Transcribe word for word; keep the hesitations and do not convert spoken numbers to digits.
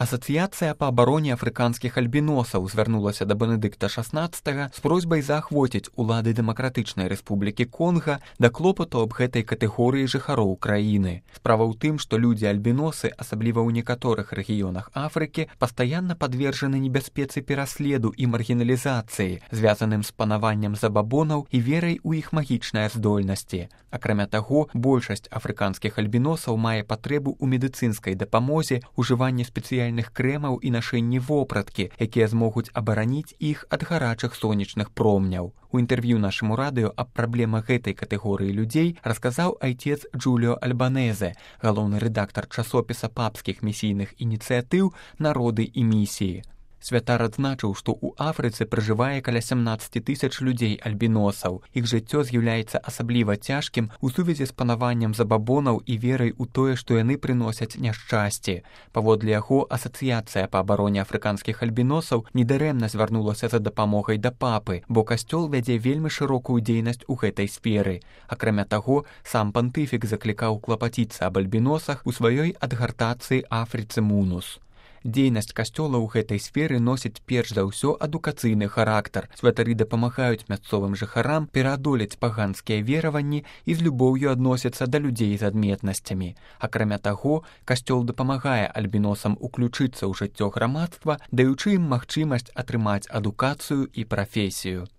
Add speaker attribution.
Speaker 1: Асацыяцыя па абароне афрыканскіх альбіносаў звярнулася да Бенедыкта шаснаццатага з просьбай заахвоціць улады Дэмакратычнай Рэспублікі Конга да клопату аб гэтай катэгорыі жыхароў краіны. Справа ў тым, што людзі-альбіносы, асабліва ў некаторых рэгіёнах Афрыкі, пастаянна падвержаны небяспецы пераследу і маргіналізацыі, звязаным з панаваннем забабонаў і верай у іх магічныя здольнасці. Акрамя таго, большасць афрыканскіх альбіносаў мае патрэбу ў медыцынскай дапамозе, ужыванні спецыяльных крэмаў і нашэнні вопраткі, якія змогуць абараніць іх ад гарачых сонечных промняў. У інтэрв'ю нашаму радыё аб праблемах гэтай катэгорыі людзей расказаў айцец Джуліо Альбанезе, галоўны рэдактар часопіса папскіх місійных ініцыятыў «Народы і місіі». Святар адзначыў, што ў Афрыцы пражывае каля сямнаццаць тысяч людзей-альбіносаў. Іх жыццё з'яўляецца асабліва цяжкім у сувязі з панаваннем забабонаў і верай у тое, што яны прыносяць няшчасце. Паводле яго, асацыяцыя па абароне афрыканскіх альбіносаў недарэмна звярнулася за дапамогай да папы, бо касцёл вядзе вельмі шырокую дзейнасць у гэтай сферы. Акрамя таго, сам пантыфік заклікаў клапаціцца аб альбіносах у сваёй адгартацыі «Афрыцы Мунус». Дзейнасць касцёла ў гэтай сферы носіць перш за ўсё адукацыйны характар. Святары дапамагаюць мясцовым жыхарам пераадолець паганскія вераванні і з любоўю адносяцца да людзей з адметнасцямі. Акрамя таго, касцёл дапамагае альбіносам уключыцца ў жыццё грамадства, даючы ім магчымасць атрымаць адукацыю і прафесію.